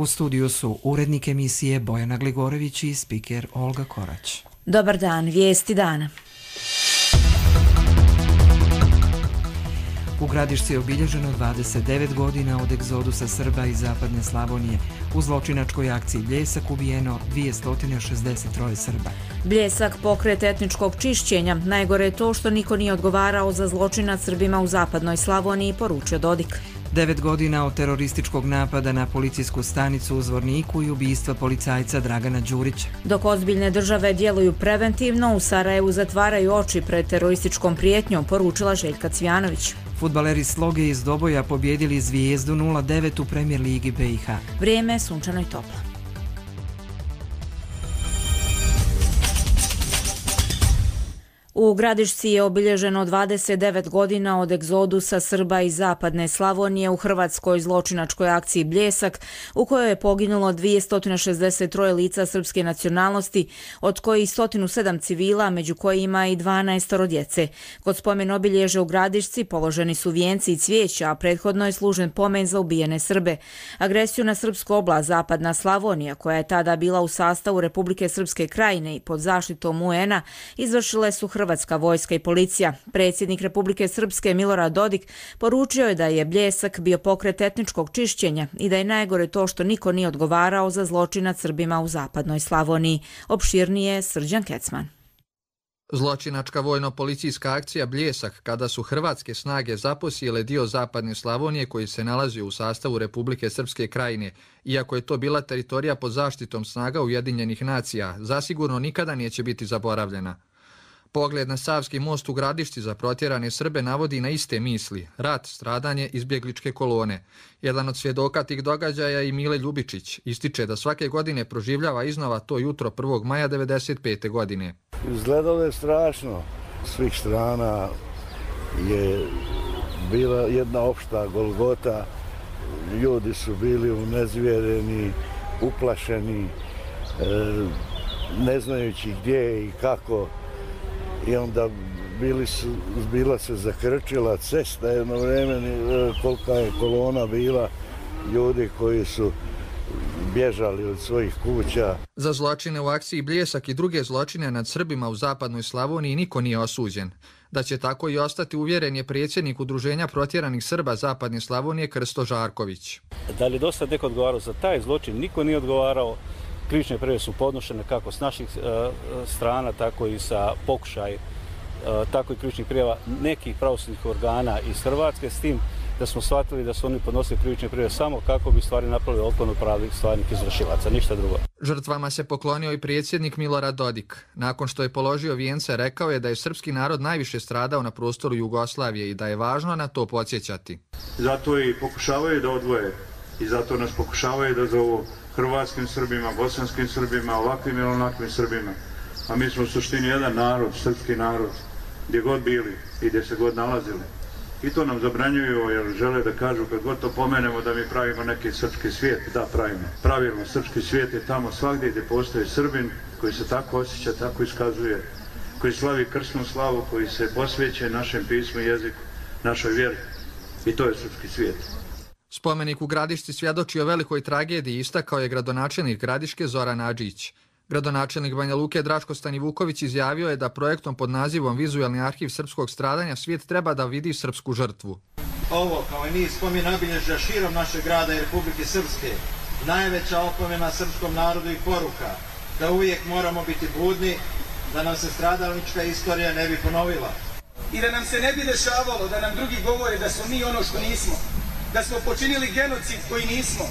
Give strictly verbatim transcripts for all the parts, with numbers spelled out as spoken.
U studiju su urednik emisije Bojana Gligorević i spiker Olga Korać. Dobar dan, vijesti dana. U Gradišci je obilježeno dvadeset devet godina od egzodusa Srba iz zapadne Slavonije. U zločinačkoj akciji Bljesak ubijeno dvjesto šezdeset tri Srba. Bljesak, pokret etničkog čišćenja. Najgore je to što niko nije odgovarao za zločin nad Srbima u zapadnoj Slavoniji, poručio Dodik. Devet godina od terorističkog napada na policijsku stanicu u Zvorniku i ubijstva policajca Dragana Đurića. Dok ozbiljne države djeluju preventivno, u Sarajevu zatvaraju oči pred terorističkom prijetnjom, poručila Željka Cvjanović. Fudbaleri Sloge iz Doboja pobjedili Zvijezdu nula devet u Premijer ligi B i H. Vrijeme je sunčano i toplo. U Gradišci je obilježeno dvadeset devet godina od egzodusa Srba iz zapadne Slavonije u hrvatskoj zločinačkoj akciji Bljesak, u kojoj je poginulo dvjesto šezdeset tri lica srpske nacionalnosti, od kojih sto sedam civila, među kojima i dvanaest djece. Kod spomen obilježja u Gradišci položeni su vijenci i cvijeća, a prethodno je služen pomen za ubijene Srbe. Agresiju na srpsku oblast zapadna Slavonija, koja je tada bila u sastavu Republike Srpske Krajine i pod zaštitom U N-a, izvršile su Hrvatska vojska i policija. Predsjednik Republike Srpske Milorad Dodik poručio je da je Bljesak bio pokret etničkog čišćenja i da je najgore to što niko nije odgovarao za zločin nad Srbima u zapadnoj Slavoniji. Opširnije Srđan Kecman. Zločinačka vojno-policijska akcija Bljesak, kada su hrvatske snage zaposjele dio zapadne Slavonije koji se nalazio u sastavu Republike Srpske Krajine, iako je to bila teritorija pod zaštitom snaga Ujedinjenih nacija, zasigurno nikada neće biti zaboravljena. Pogled na Savski most u Gradišci za protjerane Srbe navodi na iste misli: rat, stradanje, izbjegličke kolone. Jedan od svjedoka tih događaja i Mile Ljubičić ističe da svake godine proživljava iznova to jutro prvog maja devedeset pete. godine. Izgledalo je strašno. Svih strana je bila jedna opšta golgota. Ljudi su bili unezvjereni, uplašeni, ne znajući gdje i kako. I onda bili su, bila se zakrčila cesta jedno vrijeme, kolika je kolona bila ljudi koji su bježali od svojih kuća. Za zločine u akciji Bljesak i druge zločine nad Srbima u zapadnoj Slavoniji niko nije osuđen. Da će tako i ostati uvjeren je predsjednik Udruženja protjeranih Srba zapadne Slavonije Krsto Žarković. Da li do sad neko odgovarao za taj zločin? Niko nije odgovarao. Krivične prijave su podnošene kako s naših uh, strana, tako i sa pokušaj, uh, tako i krivičnih prijava nekih pravosudnih organa iz Hrvatske, s tim da smo shvatili da su oni podnosili krivične prijave samo kako bi stvari napravili otklonu pravih stvarnih izvršilaca, ništa drugo. Žrtvama se poklonio i predsjednik Milorad Dodik. Nakon što je položio vijence, rekao je da je srpski narod najviše stradao na prostoru Jugoslavije i da je važno na to podsjećati. Zato i pokušavaju da odvoje i zato nas pokušavaju da zovu hrvatskim Srbima, bosanskim Srbima, ovakvim ili onakvim Srbima. A mi smo u suštini jedan narod, srpski narod, gdje god bili i gdje se god nalazili. I to nam zabranjuju jer žele da kažu kad god to pomenemo da mi pravimo neki srpski svijet. Da, pravimo. Pravilno, srpski svijet je tamo svagdje gdje postoji Srbin koji se tako osjeća, tako iskazuje, koji slavi krsnu slavu, koji se posveće našem pismu i jeziku, našoj vjeri. I to je srpski svijet. Spomenik u Gradišci svjedoči o velikoj tragediji, istakao je gradonačelnik Gradiške Zoran Adžić. Gradonačelnik Banja Luke Draško Stanivuković izjavio je da projektom pod nazivom Vizualni arhiv srpskog stradanja svijet treba da vidi srpsku žrtvu. Ovo, kao i niz spomen obilježja širom našeg grada i Republike Srpske, najveća opomena srpskom narodu i poruka da uvijek moramo biti budni, da nam se stradalnička istorija ne bi ponovila. I da nam se ne bi dešavalo da nam drugi govore da smo mi ono što nismo, da smo počinili genocid koji nismo,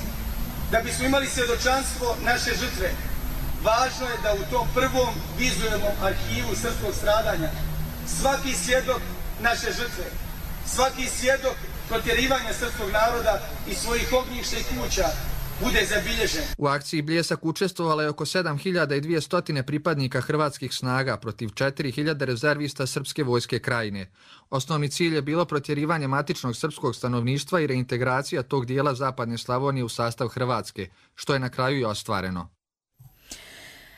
da bismo imali svjedočanstvo naše žrtve. Važno je da u tom prvom vizualnom arhivu srpskog stradanja svaki svjedok naše žrtve, svaki svjedok protjerivanja srpskog naroda i svojih ognjišta i kuća bude zabilježen. U akciji Bljesak učestvovalo je oko sedam hiljada dvjesto pripadnika hrvatskih snaga protiv četiri hiljade rezervista Srpske vojske Krajine. Osnovni cilj je bilo protjerivanje matičnog srpskog stanovništva i reintegracija tog dijela zapadne Slavonije u sastav Hrvatske, što je na kraju i ostvareno.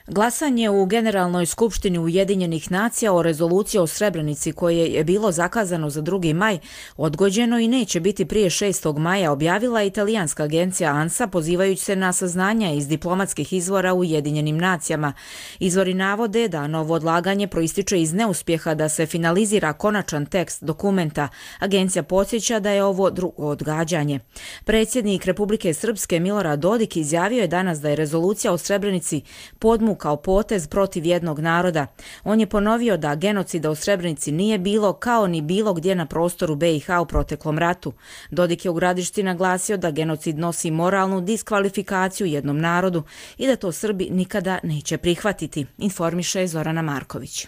Glasanje u Generalnoj skupštini Ujedinjenih nacija o rezoluciji o Srebrenici koje je bilo zakazano za drugi maj odgođeno i neće biti prije šestog maja, objavila italijanska agencija ANSA pozivajući se na saznanja iz diplomatskih izvora u Ujedinjenim nacijama. Izvori navode da novo odlaganje proističe iz neuspjeha da se finalizira konačan tekst dokumenta. Agencija podsjeća da je ovo drugo odgađanje. Predsjednik Republike Srpske Milorad Dodik izjavio je danas da je rezolucija o Srebrenici podmukla kao potez protiv jednog naroda. On je ponovio da genocida u Srebrenici nije bilo kao ni bilo gdje na prostoru B i H u proteklom ratu. Dodik je u Gradišci naglasio da genocid nosi moralnu diskvalifikaciju jednom narodu i da to Srbi nikada neće prihvatiti, informiše Zorana Marković.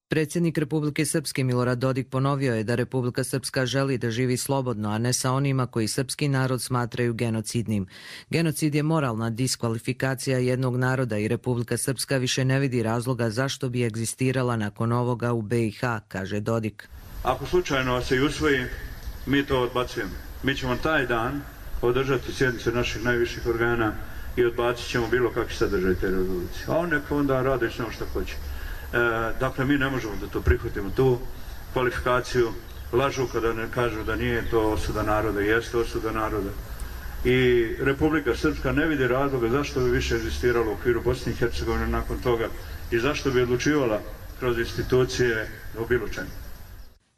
Predsjednik Republike Srpske Milorad Dodik ponovio je da Republika Srpska želi da živi slobodno, a ne sa onima koji srpski narod smatraju genocidnim. Genocid je moralna diskvalifikacija jednog naroda i Republika Srpska više ne vidi razloga zašto bi egzistirala nakon ovoga u B i H, kaže Dodik. Ako slučajno se i usvoji, mi to odbacujemo. Mi ćemo taj dan održati sjednice naših najviših organa i odbacit ćemo bilo kakvi sadržaj te rezolucije. A on neka onda radi sve što hoće. E, dakle, mi ne možemo da to prihvatimo, tu kvalifikaciju, lažu kada ne kažu da nije to osuda naroda, jeste osuda naroda. I Republika Srpska ne vidi razloga zašto bi više egzistirala u okviru Bosne i Hercegovine nakon toga i zašto bi odlučivala kroz institucije o bilo čemu.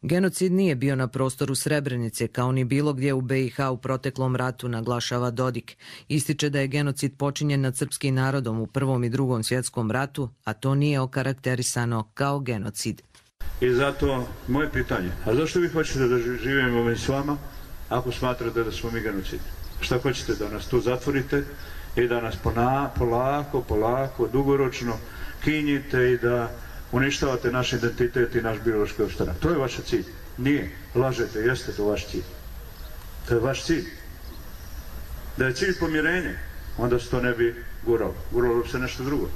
Genocid nije bio na prostoru Srebrenice, kao ni bilo gdje u B i H u proteklom ratu, naglašava Dodik. Ističe da je genocid počinjen nad srpskim narodom u Prvom i Drugom svjetskom ratu, a to nije okarakterisano kao genocid. I zato moje pitanje, a zašto vi hoćete da živimo s vama ako smatrate da smo mi genocid? Šta hoćete, da nas tu zatvorite i da nas polako, polako, dugoročno kinjite i da uništavate naš identitet i naš biološki opstanak? To je vaš cilj. Nije. Lažete, jeste to vaš cilj. To je vaš cilj. Da je cilj pomirenje, onda se to ne bi guralo. Guralo bi se nešto drugo.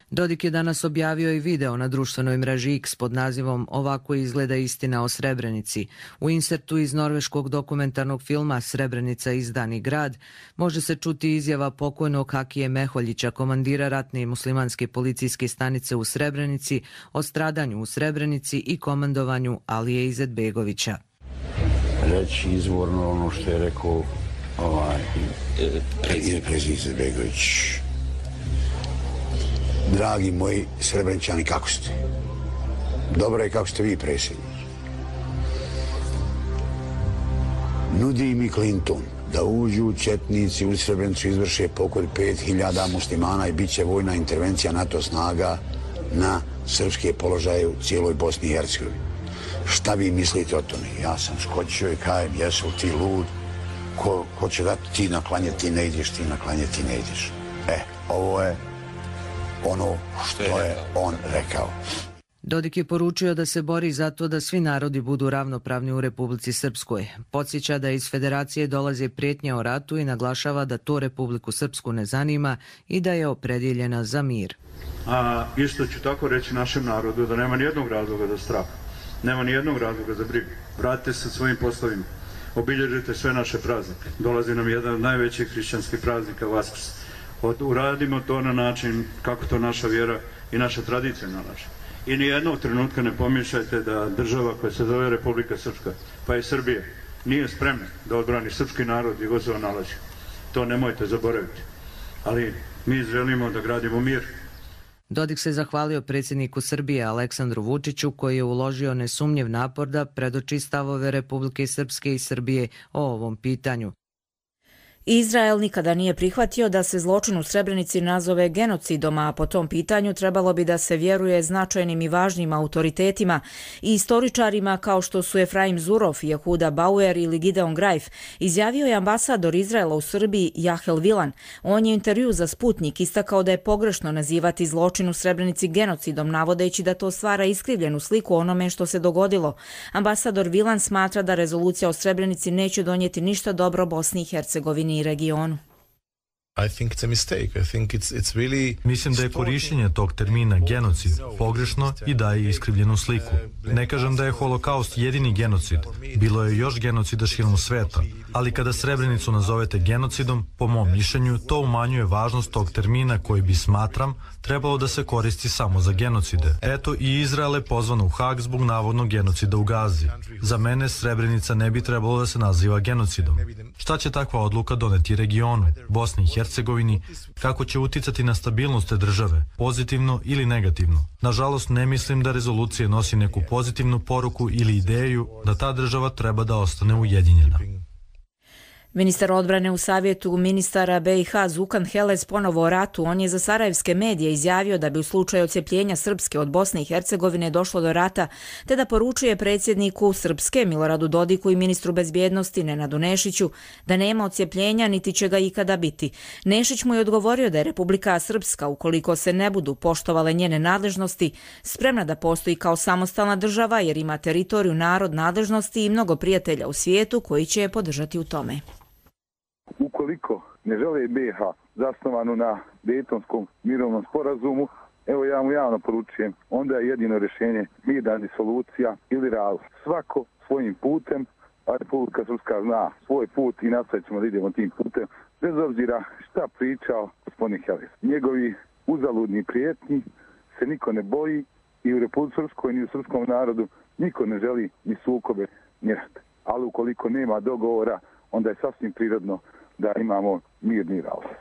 Dodik je danas objavio i video na društvenoj mreži X pod nazivom Ovako izgleda istina o Srebrenici. U insertu iz norveškog dokumentarnog filma Srebrenica izdani grad može se čuti izjava pokojnog Hakije Meholjića, komandira ratne i muslimanske policijske stanice u Srebrenici, o stradanju u Srebrenici i komandovanju Alije Izetbegovića. Reći izvorno ono što je rekao ovaj, predsjednik Izetbegović. Dragi moji Srebreničani, kako ste? Dobro je kako ste vi, predsjednik. Nudi mi Clinton da uđu četnici u Srebrenicu, izvrše pokolj pet hiljada muslimana i bit će vojna intervencija NATO snaga na srpske položaje u cijeloj Bosni i Hercegovini. Šta vi mislite o tome? Ja sam skočio i kajem, jesu ti lud? Ko, ko će dati ti na klanje, ti ne ideš, ti na klanje, ti ne ideš. E, ovo je ono što je on rekao. Dodik je poručio da se bori za to da svi narodi budu ravnopravni u Republici Srpskoj. Podsjeća da iz Federacije dolaze prijetnje o ratu i naglašava da to Republiku Srpsku ne zanima i da je opredjeljena za mir. A isto ću tako reći našem narodu da nema nijednog razloga za strah. Nema nijednog razloga za brigu. Vratite se svojim poslovima. Obilježite sve naše praznike. Dolazi nam jedan od najvećih hrišćanskih praznika, Vaskrs. Uradimo to na način kako to naša vjera i naša tradicija nalaže. I nijednog trenutka ne pomiješajte da država koja se zove Republika Srpska, pa i Srbija, nije spremna da odbrani srpski narod i god se on nalazi. To nemojte zaboraviti. Ali mi želimo da gradimo mir. Dodik se zahvalio predsjedniku Srbije Aleksandru Vučiću koji je uložio nesumnjiv napor da predoči stavove Republike Srpske i Srbije o ovom pitanju. Izrael nikada nije prihvatio da se zločin u Srebrenici nazove genocidom, a po tom pitanju trebalo bi da se vjeruje značajnim i važnim autoritetima i istoričarima kao što su Efraim Zurov, Jehuda Bauer ili Gideon Greif, izjavio je ambasador Izraela u Srbiji Jahel Vilan. On je u intervju za Sputnik istakao da je pogrešno nazivati zločin u Srebrenici genocidom, navodeći da to stvara iskrivljenu sliku onome što se dogodilo. Ambasador Vilan smatra da rezolucija o Srebrenici neće donijeti ništa dobro Bosni i Hercegovini i regionu. I think it's a mistake. I think it's it's really Mislim da je korištenje tog termina genocid pogrešno i daje iskrivljenu sliku. Ne kažem da je holokaust jedini genocid. Bilo je još genocida širom sveta, ali kada Srebrenicu nazovete genocidom, po mom mišljenju, to umanjuje važnost tog termina koji bi, smatram, trebalo da se koristi samo za genocide. Eto, i Izrael je pozvan u Hag zbog navodnog genocida u Gazi. Za mene Srebrenica ne bi trebalo da se naziva genocidom. Šta će takva odluka doneti regionu, Bosni i Hercegovini, kako će uticati na stabilnost te države, pozitivno ili negativno? Nažalost, ne mislim da rezolucija nosi neku pozitivnu poruku ili ideju da ta država treba da ostane ujedinjena. Ministar odbrane u savjetu ministara B i H Zukan Heles ponovo o ratu. On je za sarajevske medije izjavio da bi u slučaju odcjepljenja Srpske od Bosne i Hercegovine došlo do rata, te da poručuje predsjedniku Srpske Miloradu Dodiku i ministru bezbjednosti Nenadu Nešiću da nema odcjepljenja niti će ga ikada biti. Nešić mu je odgovorio da je Republika Srpska, ukoliko se ne budu poštovale njene nadležnosti, spremna da postoji kao samostalna država jer ima teritoriju, narod, nadležnosti i mnogo prijatelja u svijetu koji će je podržati u tome. Ukoliko ne žele B i H zasnovanu na Dejtonskom mirovnom sporazumu, evo ja mu javno poručujem, onda je jedino rješenje mirna disolucija ili razlog. Svako svojim putem, a Republika Srpska zna svoj put i nastavit ćemo da idemo tim putem, bez obzira šta pričao gospodin Heles. Njegovi uzaludni prijetnji se niko ne boji i u Republike Srpskoj ni u srpskom narodu niko ne želi ni sukobe ni rat. Ali ukoliko nema dogovora, onda je sasvim prirodno da imamo mirni razlaz.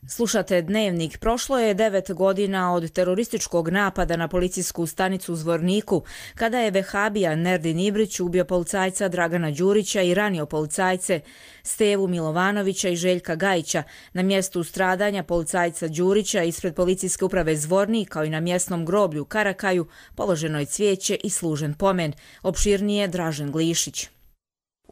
Slušate Dnevnik. Prošlo je devet godina od terorističkog napada na policijsku stanicu u Zvorniku, kada je vehabija Nerdin Ibrić ubio policajca Dragana Đurića i ranio policajce Stevu Milovanovića i Željka Gajića. Na mjestu stradanja policajca Đurića ispred policijske uprave Zvornik, kao i na mjesnom groblju Karakaju, položeno je cvijeće i služen pomen. Opširnije Dražen Glišić.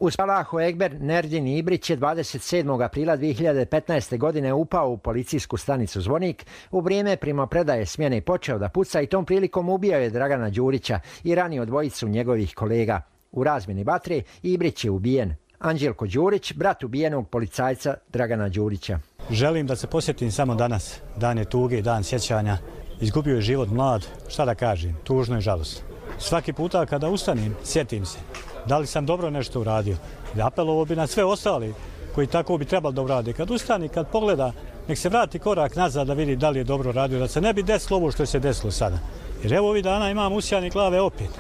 Uz Allahu Ekber, Nerdin Ibrić je dvadeset sedmog aprila dvije hiljade petnaeste. godine upao u policijsku stanicu Zvornik. U vrijeme primopredaje smjene počeo da puca i tom prilikom ubio je Dragana Đurića i ranio dvojicu njegovih kolega. U razmjeni vatre Ibrić je ubijen. Anđelko Đurić, brat ubijenog policajca Dragana Đurića. Želim da se posjetim samo danas. Dan je tuge, dan sjećanja. Izgubio je život mlad. Šta da kažem, tužno i žalosno. Svaki puta kada ustanim, sjetim se. Da li sam dobro nešto uradio? Apelovao bi na sve ostali koji tako bi trebali da urade. Kad ustani, kad pogleda, nek se vrati korak nazad da vidi da li je dobro radio, da se ne bi desilo ovo što se desilo sada. Jer evo ovih dana imam usijane glave opet.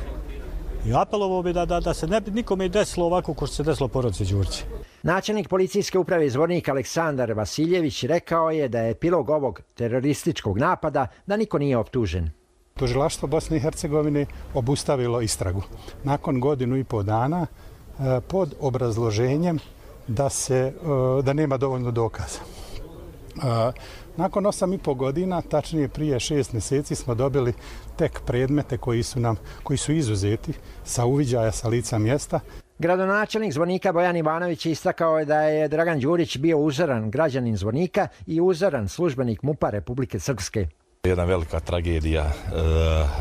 I apelovao bi da, da, da se ne bi nikome desilo ovako ko što se desilo porodici Đurića. Načelnik policijske uprave Zvornik Aleksandar Vasiljević rekao je da je epilog ovog terorističkog napada da niko nije optužen. Tužilaštvo Bosne i Hercegovine obustavilo istragu nakon godinu i pol dana pod obrazloženjem da, se, da nema dovoljno dokaza. Nakon osam i pol godina, tačnije prije šest mjeseci, smo dobili tek predmete koji su, nam, koji su izuzeti sa uviđaja sa lica mjesta. Gradonačelnik Zvornika Bojan Ivanović istakao je da je Dragan Đurić bio uzoran građanin Zvornika i uzoran službenik MUP-a Republike Srpske. Jedna velika tragedija e,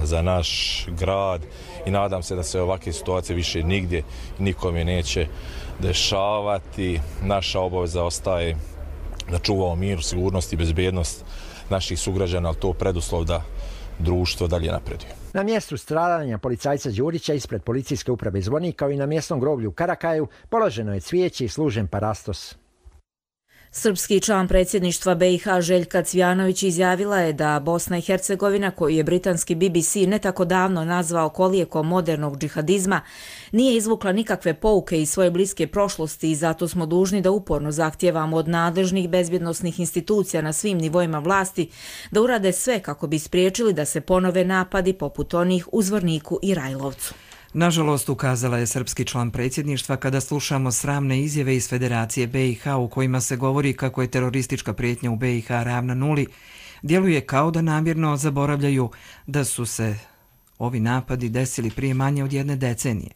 za naš grad i nadam se da se ovakve situacije više nigdje nikome neće dešavati. Naša obaveza ostaje da čuvamo mir, sigurnost i bezbjednost naših sugrađana, ali to preduslov da društvo dalje napreduje. Na mjestu stradanja policajca Đurića ispred policijske uprave Zvornik, kao i na mjesnom groblju Karakaju, položeno je cvijeće i služen parastos. Srpski član predsjedništva B i H Željka Cvijanović izjavila je da Bosna i Hercegovina, koju je britanski B B C ne tako davno nazvao kolijekom modernog džihadizma, nije izvukla nikakve pouke iz svoje bliske prošlosti i zato smo dužni da uporno zahtijevamo od nadležnih bezbjednosnih institucija na svim nivoima vlasti da urade sve kako bi spriječili da se ponove napadi poput onih u Zvorniku i Rajlovcu. Nažalost, ukazala je srpski član predsjedništva kada slušamo sramne izjave iz Federacije B i H u kojima se govori kako je teroristička prijetnja u B i H ravna nuli, djeluje kao da namjerno zaboravljaju da su se ovi napadi desili prije manje od jedne decenije.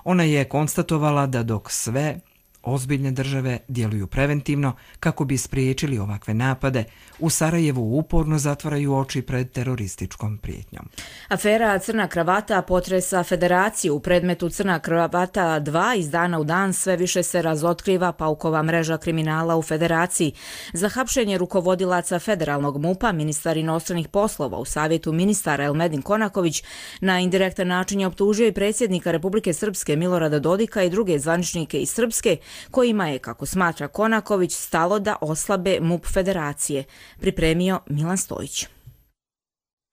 Ona je konstatovala da dok sve Ozbiljne države djeluju preventivno kako bi spriječili ovakve napade. U Sarajevu uporno zatvaraju oči pred terorističkom prijetnjom. Afera Crna kravata potresa Federaciju. U predmetu Crna kravata dva iz dana u dan sve više se razotkriva paukova mreža kriminala u Federaciji. Za hapšenje rukovodilaca federalnog MUP-a ministar inostranih poslova u savjetu ministara Elmedin Konaković na indirektan način je optužio i predsjednika Republike Srpske Milorada Dodika i druge zvaničnike iz Srpske, kojima je, kako smatra Konaković, stalo da oslabe MUP Federacije. Pripremio Milan Stojić.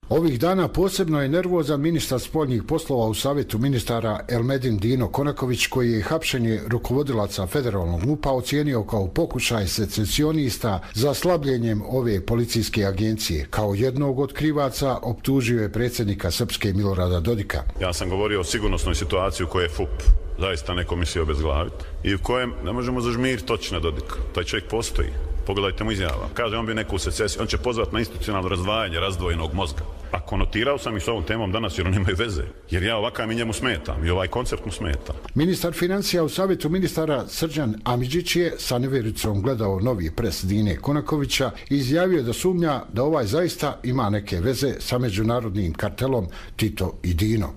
Ovih dana posebno je nervozan ministar spoljnih poslova u savjetu ministara Elmedin Dino Konaković, koji je hapšenje rukovodilaca federalnog MUP-a ocijenio kao pokušaj secesionista za slabljenjem ove policijske agencije. Kao jednog od krivaca optužio je predsjednika Srpske Milorada Dodika. Ja sam govorio o sigurnosnoj situaciji u kojoj je F U P zaista neko mislio obezglaviti i u kojem ne možemo zažmiriti točno na Dodika. Taj čovjek postoji. Pogledajte mu izjava. Kaže, on bi neku secesiju, on će pozvati na institucionalno razdvajanje razdvojenog mozga. A konotirao sam i s ovom temom danas jer oni nemaju veze. Jer ja ovakav mi njemu smetam i ovaj koncept mu smeta. Ministar financija u savjetu ministara Srđan Amidžić je sa nevjericom gledao novi pres Dine Konakovića i izjavio da sumnja da ovaj zaista ima neke veze sa međunarodnim kartelom Tito i Dino.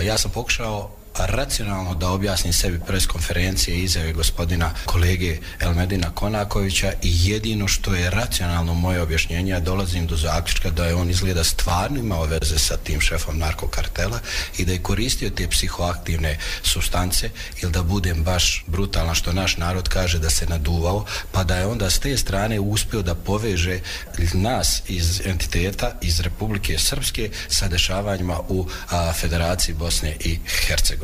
Ja sam pokušao racionalno da objasnim sebi pres konferencije i izjave gospodina kolege Elmedina Konakovića i jedino što je racionalno moje objašnjenje, ja dolazim do zaključka da je on izgleda stvarno imao veze sa tim šefom narkokartela i da je koristio te psihoaktivne supstance ili da budem baš brutalan što naš narod kaže da se naduvao, pa da je onda s te strane uspio da poveže nas iz entiteta iz Republike Srpske sa dešavanjima u a, Federaciji Bosne i Hercegovine.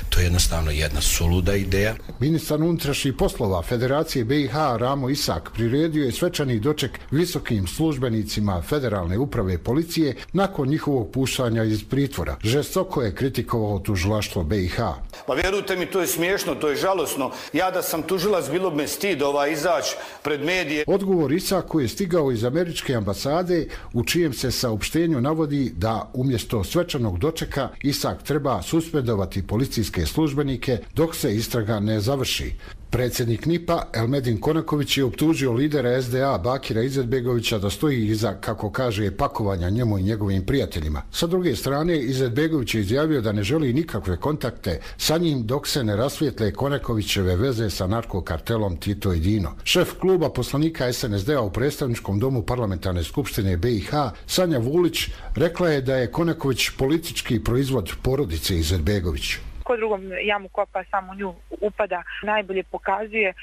To je jednostavno jedna suluda ideja. Ministar unutrašnjih poslova Federacije B i H Ramo Isak priredio je svečani doček visokim službenicima Federalne uprave policije nakon njihovog puštanja iz pritvora. Žestoko je kritikovao tužilaštvo B i H. Pa vjerujte mi, to je smiješno, to je žalosno. Ja da sam tužilac, bilo bi me stid ovaj izaći pred medije. Odgovor Isaku je stigao iz američke ambasade, u čijem se saopštenju navodi da umjesto svečanog dočeka Isak treba suspendovati policijske službenike dok se istraga ne završi. Predsjednik N I P-a Elmedin Konaković je optužio lidera S D A Bakira Izetbegovića da stoji iza, kako kaže, pakovanja njemu i njegovim prijateljima. Sa druge strane, Izetbegović je izjavio da ne želi nikakve kontakte sa njim dok se ne rasvijetle Konakovićeve veze sa narkokartelom Tito i Dino. Šef kluba poslanika S N S D-a u predstavničkom domu parlamentarne skupštine B i H Sanja Vulić rekla je da je Konaković politički proizvod porodice Izetbegović. Ko drugom jamu kopa, samo nju upada, najbolje pokazuje e,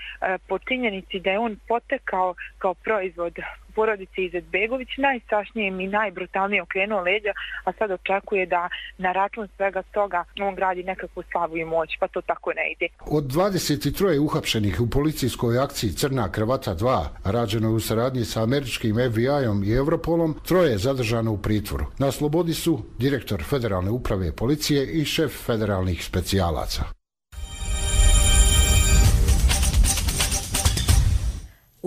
po činjenici da je on potekao kao proizvod porodice Izetbegović, najstrašnije i najbrutalnije okrenuo leđa, a sad očekuje da na račun svega toga on gradi nekakvu slavu i moć, pa to tako ne ide. Od dvadeset tri uhapšenih u policijskoj akciji Crna kravata dva, rađeno u saradnji sa američkim F B I-om i Europolom, troje je zadržano u pritvoru. Na slobodi su direktor Federalne uprave policije i šef federalnih specijalaca.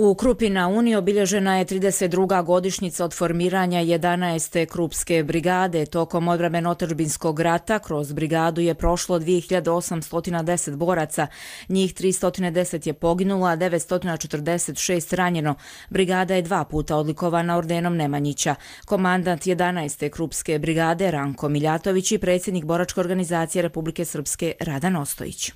U Krupi na Uni obilježena je trideset druga godišnjica od formiranja jedanaeste Krupske brigade. Tokom odbrambeno-otadžbinskog rata kroz brigadu je prošlo dvije hiljade osamsto deset boraca, njih tristo deset je poginulo, a devetsto četrdeset šest ranjeno. Brigada je dva puta odlikovana ordenom Nemanjića. Komandant jedanaeste Krupske brigade Ranko Miljatović i predsjednik boračke organizacije Republike Srpske Radan Ostojić.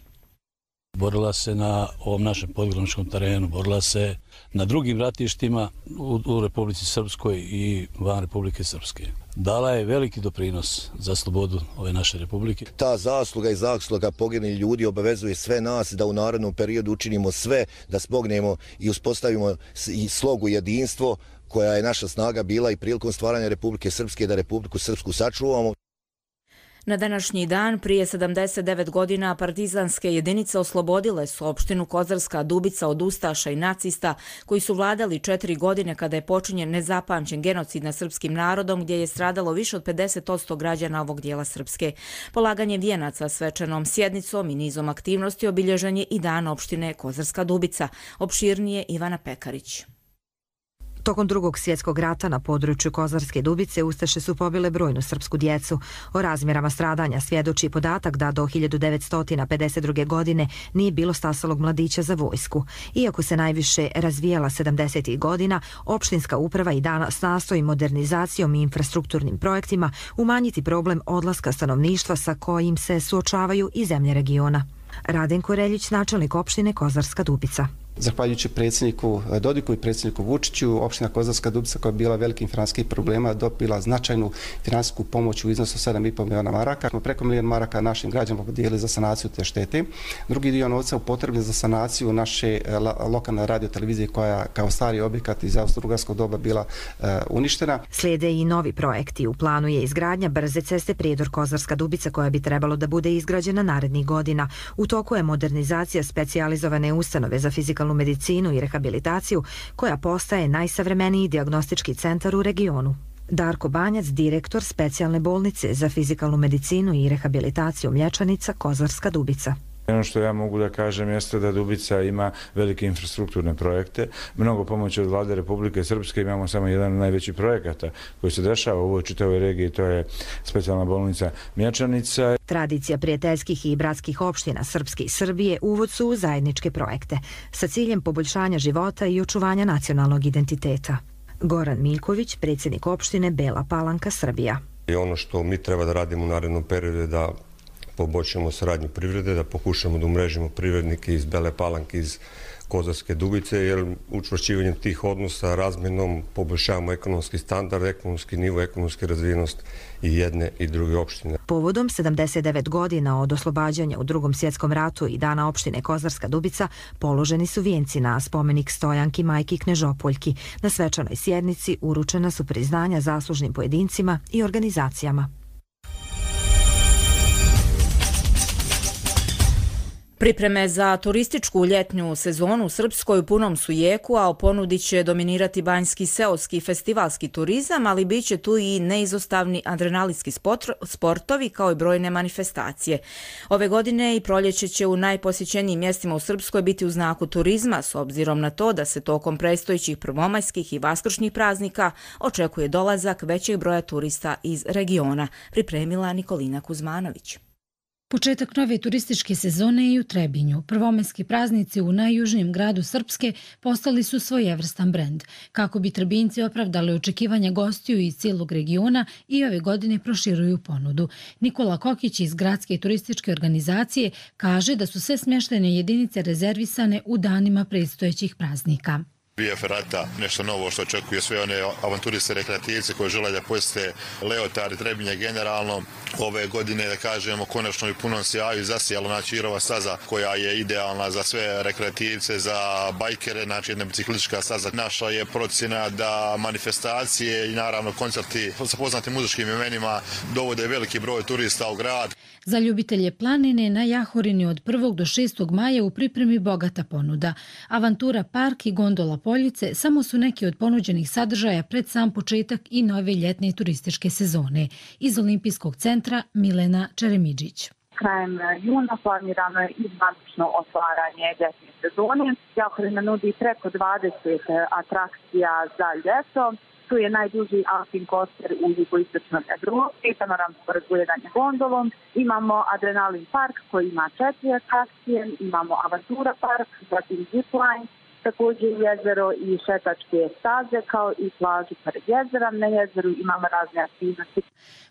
Borila se na ovom našem podgraničnom terenu, borila se na drugim ratištima u, u Republici Srpskoj i van Republike Srpske. Dala je veliki doprinos za slobodu ove naše republike. Ta zasluga i zasluga poginulih ljudi obavezuje sve nas da u narednom periodu učinimo sve da smognemo i uspostavimo i slogu jedinstvo koja je naša snaga bila i prilikom stvaranja Republike Srpske, da Republiku Srpsku sačuvamo. Na današnji dan, prije sedamdeset devet godina, partizanske jedinice oslobodile su opštinu Kozarska Dubica od ustaša i nacista koji su vladali četiri godine kada je počinjen nezapamćen genocid nad srpskim narodom gdje je stradalo više od pedeset posto građana ovog dijela Srpske. Polaganje vijenaca svečanom sjednicom i nizom aktivnosti obilježen je i dan opštine Kozarska Dubica. Opširnije Ivana Pekarić. Tokom drugog svjetskog rata na području Kozarske Dubice ustaše su pobile brojnu srpsku djecu. O razmjerama stradanja svjedoči podatak da do hiljadu devetsto pedeset druge. godine nije bilo stasalog mladića za vojsku. Iako se najviše razvijala sedamdesetih godina, opštinska uprava i danas nastoji modernizacijom i infrastrukturnim projektima umanjiti problem odlaska stanovništva sa kojim se suočavaju i zemlje regiona. Radenko Reljić, načelnik opštine Kozarska Dubica. Zahvaljujući predsjedniku Dodiku i predsjedniku Vučiću, opština Kozarska Dubica koja je bila velikim financijskih problema dobila značajnu financijsku pomoć u iznosu sedam i pol miliona maraka. Smo preko milion maraka našim građanima podijelili za sanaciju te štete. Drugi dio novca upotrebljen za sanaciju naše lokalne radiotelevizije koja kao stari objekat iz austrougarskog doba bila uh, uništena. Slijede i novi projekti. U planu je izgradnja brze ceste Prijedor Kozarska Dubica koja bi trebalo da bude izgrađena narednih godina. U toku je modernizacija specijalizovane ustanove za fizikalnu medicinu i rehabilitaciju koja postaje najsavremeniji dijagnostički centar u regionu. Darko Banjac, direktor specijalne bolnice za fizikalnu medicinu i rehabilitaciju Mlječanica Kozarska Dubica. Ono što ja mogu da kažem jeste da Dubica ima velike infrastrukturne projekte, mnogo pomoći od vlade Republike Srpske, imamo samo jedan od najvećih projekata koji se dešava u ovoj čitavoj regiji, to je specijalna bolnica Mlječanica. Tradicija prijateljskih i bratskih opština Srpske i Srbije uvod su u zajedničke projekte sa ciljem poboljšanja života i očuvanja nacionalnog identiteta. Goran Miljković, predsjednik opštine Bela Palanka, Srbija. I ono što mi treba da radimo u narednom periodu je da poboljšamo saradnju privrede, da pokušamo da umrežimo privrednike iz Bele Palanke, iz Kozarske Dubice, jer učvršćivanjem tih odnosa razmjenom poboljšavamo ekonomski standard, ekonomski nivo, ekonomski razvijenost i jedne i druge opštine. Povodom sedamdeset devet godina od oslobađanja u Drugom svjetskom ratu i dana opštine Kozarska Dubica položeni su vijenci na spomenik Stojanki majki Knežopoljki. Na svečanoj sjednici uručena su priznanja zaslužnim pojedincima i organizacijama. Pripreme za turističku ljetnju sezonu u Srpskoj u punom su jeku, a o ponudi će dominirati banjski seoski festivalski turizam, ali bit će tu i neizostavni adrenalinski sportovi kao i brojne manifestacije. Ove godine i proljeće će u najposjećenijim mjestima u Srpskoj biti u znaku turizma, s obzirom na to da se tokom predstojećih prvomajskih i vaskršnjih praznika očekuje dolazak većeg broja turista iz regiona, pripremila Nikolina Kuzmanović. Početak nove turističke sezone i u Trebinju. Prvomajski praznici u najjužnijem gradu Srpske postali su svojevrstan brend. Kako bi Trebinjci opravdali očekivanja gostiju iz cijelog regiona i ove godine proširuju ponudu. Nikola Kokić iz Gradske turističke organizacije kaže da su sve smještajne jedinice rezervisane u danima predstojećih praznika. Via Ferrata, nešto novo što očekuje sve one avanturiste, rekreativce koji žele da posjete Leotar i Trebinje generalno. Ove godine, da kažemo, konačno i punom sjaju zasijala znači Irova staza koja je idealna za sve rekreativce, za bajkere, znači jedna biciklistička staza. Naša je procjena da manifestacije i naravno koncerti sa poznatim muzičkim imenima dovode veliki broj turista u grad. Za ljubitelje planine na Jahorini od prvog do šestog maja u pripremi bogata ponuda. Avantura park i gondola Poljice samo su neki od ponuđenih sadržaja pred sam početak i nove ljetne turističke sezone. Iz Olimpijskog centra Milena Čeremidžić. Krajem juna planirano je i zvanično otvaranje ljetne sezone. Jahorina nudi preko dvadeset atrakcija za ljeto. Tu je najduži alpin coaster u jugoistočnoj Evropi, panoramsko razgledanje gondolom. Imamo Adrenalin park koji ima četiri atrakcije, imamo Avantura park, zatim zipline, također jezero i šetačke staze kao i plažu pored jezera. Na jezeru imamo razne aktivnosti.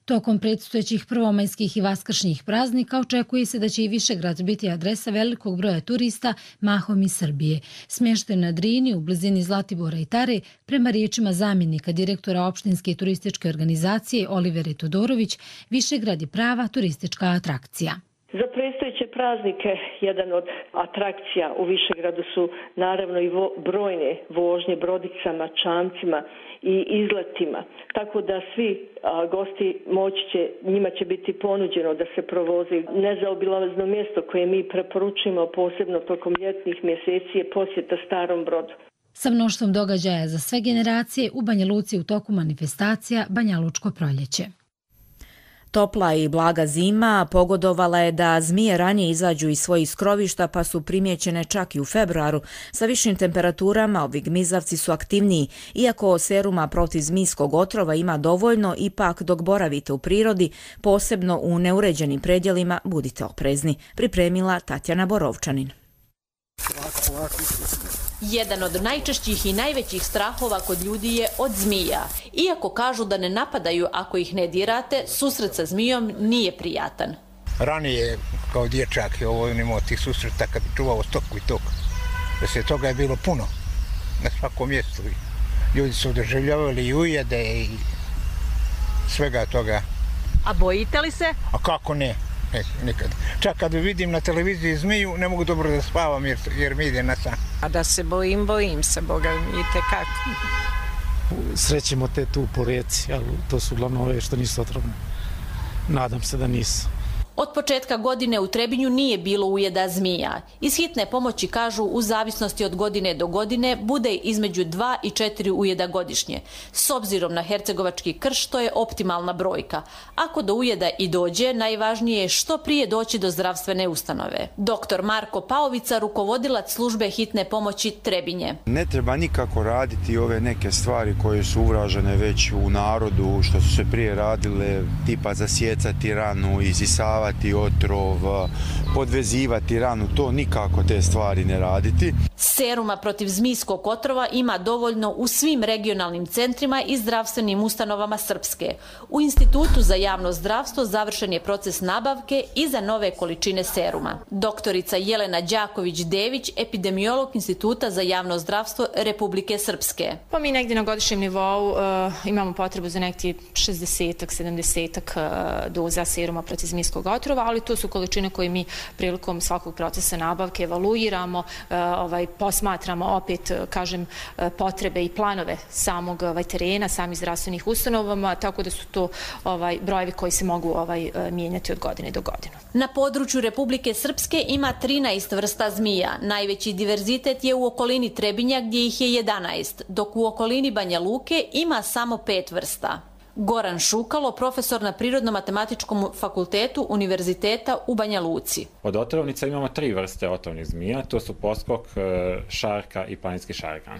Tokom predstojećih prvomajskih i vaskršnjih praznika očekuje se da će i Višegrad biti adresa velikog broja turista, mahom iz Srbije. Smješten na Drini u blizini Zlatibora i Tare, prema riječima zamjenika direktora opštinske turističke organizacije Olivere Todorović, Višegrad je prava turistička atrakcija. Za predstojeće praznike jedan od atrakcija u Višegradu su naravno i vo, brojne vožnje brodicama, čamcima i izletima. Tako da svi a, gosti moći će, njima će biti ponuđeno da se provozi nezaobilazno mjesto koje mi preporučujemo posebno tokom ljetnih mjeseci je posjeta Starom Brodu. Sa mnoštvom događaja za sve generacije u Banja Luci u toku manifestacija Banja Lučko proljeće. Topla i blaga zima pogodovala je da zmije ranije izađu iz svojih skrovišta, pa su primjećene čak i u februaru. Sa višim temperaturama ovi gmizavci su aktivniji. Iako seruma protiv zmijskog otrova ima dovoljno, ipak dok boravite u prirodi, posebno u neuređenim predjelima, budite oprezni. Pripremila Tatjana Borovčanin. Jedan od najčešćih i najvećih strahova kod ljudi je od zmija. Iako kažu da ne napadaju ako ih ne dirate, susret sa zmijom nije prijatan. Ranije, kao dječak, je ovo imao tih susreta kad bi čuvao stoku i tok. Da se toga je bilo puno na svakom mjestu. Ljudi su doživljavali i ujede i svega toga. A bojite li se? A kako ne? Ne, nikad. Čak kad vidim na televiziji zmiju, ne mogu dobro da spavam jer, jer mi ide na san. A da se bojim, bojim se, Boga mi itekako. Srećemo te tu po rijeci, ali to su uglavnom ove što nisu otrovne. Nadam se da nisu. Od početka godine u Trebinju nije bilo ujeda zmija. Iz hitne pomoći kažu u zavisnosti od godine do godine bude između dva i četiri ujeda godišnje. S obzirom na hercegovački krš to je optimalna brojka. Ako do ujeda i dođe, najvažnije je što prije doći do zdravstvene ustanove. Doktor Marko Paovica, rukovodilac službe hitne pomoći Trebinje. Ne treba nikako raditi ove neke stvari koje su uvražene već u narodu, što su se prije radile, tipa zasjecati ranu, izisavati otrov, podvezivati ranu, to nikako te stvari ne raditi. Seruma protiv zmijskog otrova ima dovoljno u svim regionalnim centrima i zdravstvenim ustanovama Srpske. U Institutu za javno zdravstvo završen je proces nabavke i za nove količine seruma. Doktorica Jelena Đaković-Dević, epidemiolog Instituta za javno zdravstvo Republike Srpske. Pa mi negdje na godišnjem nivou uh, imamo potrebu za neki šezdesetak, sedamdesetak uh, doza seruma protiv zmijskog otrova, ali to su količine koje mi prilikom svakog procesa nabavke evaluiramo, uh, ovaj, posmatramo opet, kažem, potrebe i planove samog ovaj, terena, samih zdravstvenih ustanovama, tako da su to ovaj, brojevi koji se mogu ovaj, mijenjati od godine do godine. Na području Republike Srpske ima trinaest vrsta zmija. Najveći diverzitet je u okolini Trebinja gdje ih je jedanaest, dok u okolini Banja Luke ima samo pet vrsta. Goran Šukalo, profesor na Prirodno-matematičkom fakultetu Univerziteta u Banja Luci. Od otrovnica imamo tri vrste otrovnih zmija, to su poskok, šarka i planinski šarkan.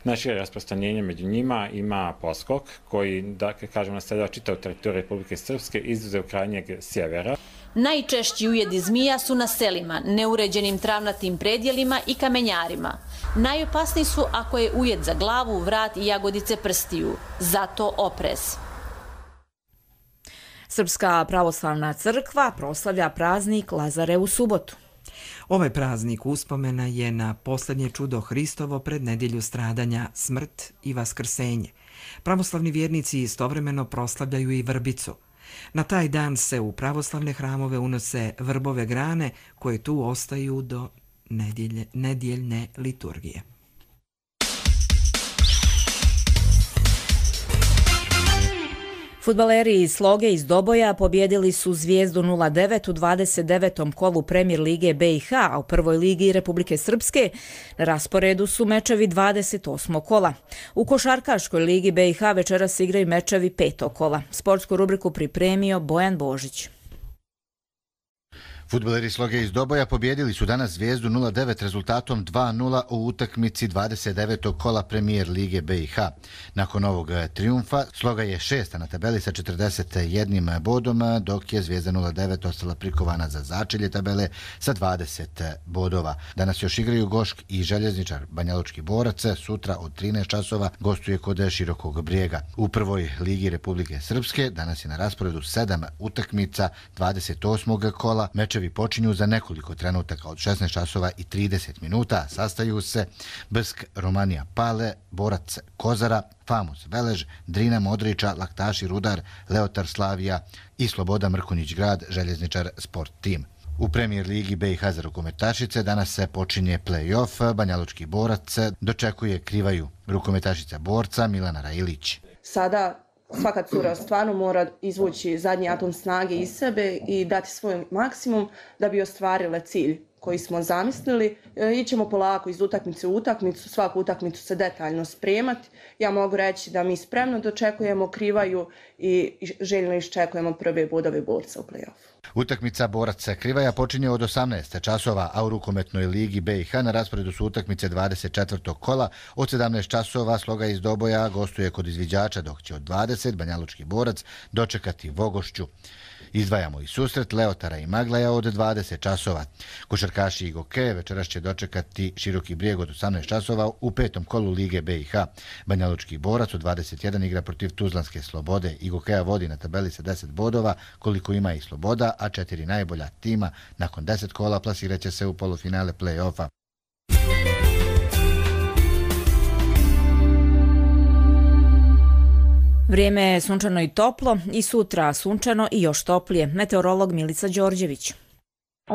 Najšire rasprostranjenje među njima ima poskok, koji, dakle, kažemo, naseljava čitavu teritoriju Republike Srpske, izuzev krajnjeg sjevera. Najčešći ujedi zmija su na selima, neuređenim travnatim predjelima i kamenjarima. Najopasniji su ako je ujed za glavu, vrat i jagodice prstiju. Zato oprez. Srpska pravoslavna crkva proslavlja praznik Lazare u subotu. Ovaj praznik uspomena je na posljednje čudo Hristovo pred nedjelju stradanja, smrt i vaskrsenje. Pravoslavni vjernici istovremeno proslavljaju i vrbicu. Na taj dan se u pravoslavne hramove unose vrbove grane koje tu ostaju do nedjelje, nedjeljne liturgije. Fudbaleri iz Sloge iz Doboja pobjedili su Zvijezdu nula devet u dvadeset devetom kolu Premier lige B i H, a u prvoj ligi Republike Srpske na rasporedu su mečevi dvadeset osmog kola. U košarkaškoj ligi B i H večeras igraju mečevi petog kola. Sportsku rubriku pripremio Bojan Božić. Fudbaleri Sloge iz Doboja pobjedili su danas Zvijezdu nula devet rezultatom dva nula u utakmici dvadeset devetog kola Premier lige B i H. Nakon ovog trijumfa Sloga je šesta na tabeli sa četrdeset jednim bodom, dok je Zvijezda nula devet ostala prikovana za začelje tabele sa dvadeset bodova. Danas još igraju Gošk i Željezničar. Banjalučki Borac sutra od trinaest časova gostuje kod Širokog Brijega. U prvoj ligi Republike Srpske danas je na rasporedu sedam utakmica dvadeset osmog kola. Mečevi počinju za nekoliko trenutaka od šesnaest časova i trideset minuta. Sastaju se Brsk, Romanija Pale, Borac Kozara, Famus Velež, Drina Modriča, Laktaši Rudar, Leotar Slavija i Sloboda Mrkonjić Grad, Željezničar Sport Team. U Premier ligi B i H za rukometašice danas se počinje play-off. Banjalučki Borac dočekuje Krivaju. Rukometašica Borca Milana Rajilić. Sada svaka cura stvarno mora izvući zadnji atom snage iz sebe i dati svoj maksimum da bi ostvarile cilj koji smo zamislili. Ićemo polako iz utakmice u utakmicu, svaku utakmicu se detaljno spremati. Ja mogu reći da mi spremno dočekujemo Krivaju i željno iščekujemo prve bodove borca u play-offu. Utakmica boraca Krivaja počinje od osamnaest časova, a u rukometnoj ligi B i H na rasporedu su utakmice dvadeset četvrtog kola. Od sedamnaest časova Sloga iz Doboja gostuje kod izviđača, dok će od dvadeset Banjalučki borac dočekati Vogošću. Izdvajamo i susret Leotara i Maglaja od dvadeset časova. Košarkaši Igoke večeras će dočekati Široki Brijeg od osamnaest časova u petom kolu Lige B i H. Banjalučki borac od dvadeset jedan igra protiv Tuzlanske Slobode. Igokeja vodi na tabeli sa deset bodova, koliko ima i Sloboda, a četiri najbolja tima nakon deset kola plasiraće se u polufinale play-offa. Vrijeme je sunčano i toplo i sutra sunčano i još toplije. Meteorolog Milica Đorđević.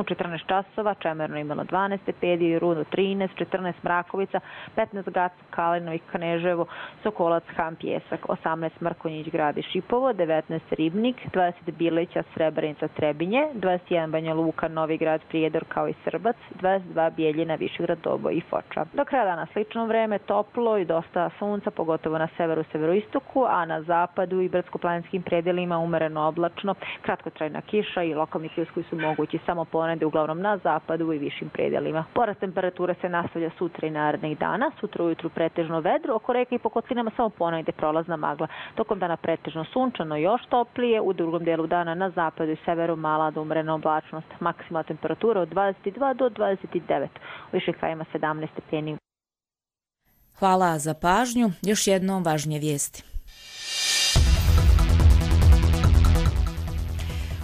U četrnaest časova Čemerno imalo dvanaest stepeni, i Rudo trinaest, četrnaest Mrakovica, petnaest Gac, Kalinović, Kneževo, Sokolac, Han, Pjesak, osamnaest Mrkonjić, Grad i Šipovo, devetnaest Ribnik, dvadeset Bilića, Srebrenica, Trebinje, dvadeset jedan Banja Luka, Novi Grad, Prijedor kao i Srbac, dvadeset dva Bijeljina, Višegrad, Doboj i Foča. Do kraja dana slično vreme, toplo i dosta sunca, pogotovo na severu, severoistoku, a na zapadu i brdsko-planinskim predelima umereno oblačno, kratkotrajna kiša i lokalni pljuskovi su mogući samo ponede uglavnom na zapadu i višim predelima. Porast temperature se nastavlja sutra i narednih dana. Sutra ujutru pretežno vedro, oko reke i po kotlinama samo ponegde prolazna magla. Tokom dana pretežno sunčano, još toplije, u drugom delu dana na zapadu i severu mala do umerena oblačnost. Maksimalna temperatura od dvadeset dva do dvadeset devet, u viših krajima sedamnaest stepeni. Hvala za pažnju. Još jednom važnije vijesti.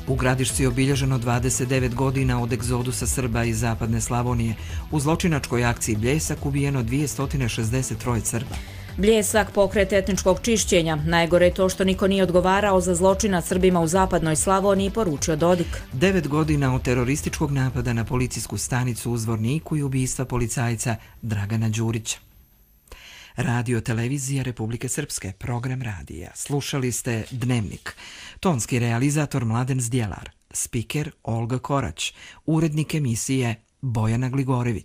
U Gradišci je obilježeno dvadeset devet godina od egzodusa Srba iz zapadne Slavonije. U zločinačkoj akciji Bljesak ubijeno dvjesto šezdeset tri Srba. Bljesak, pokret etničkog čišćenja. Najgore je to što niko nije odgovarao za zločina Srbima u zapadnoj Slavoniji, poručio Dodik. Devet godina od terorističkog napada na policijsku stanicu u Zvorniku i ubistva policajca Dragana Đurića. Radio televizija Republike Srpske, program radija. Slušali ste Dnevnik. Tonski realizator Mladen Zdjelar, spiker Olga Korać, urednik emisije Bojana Gligorević.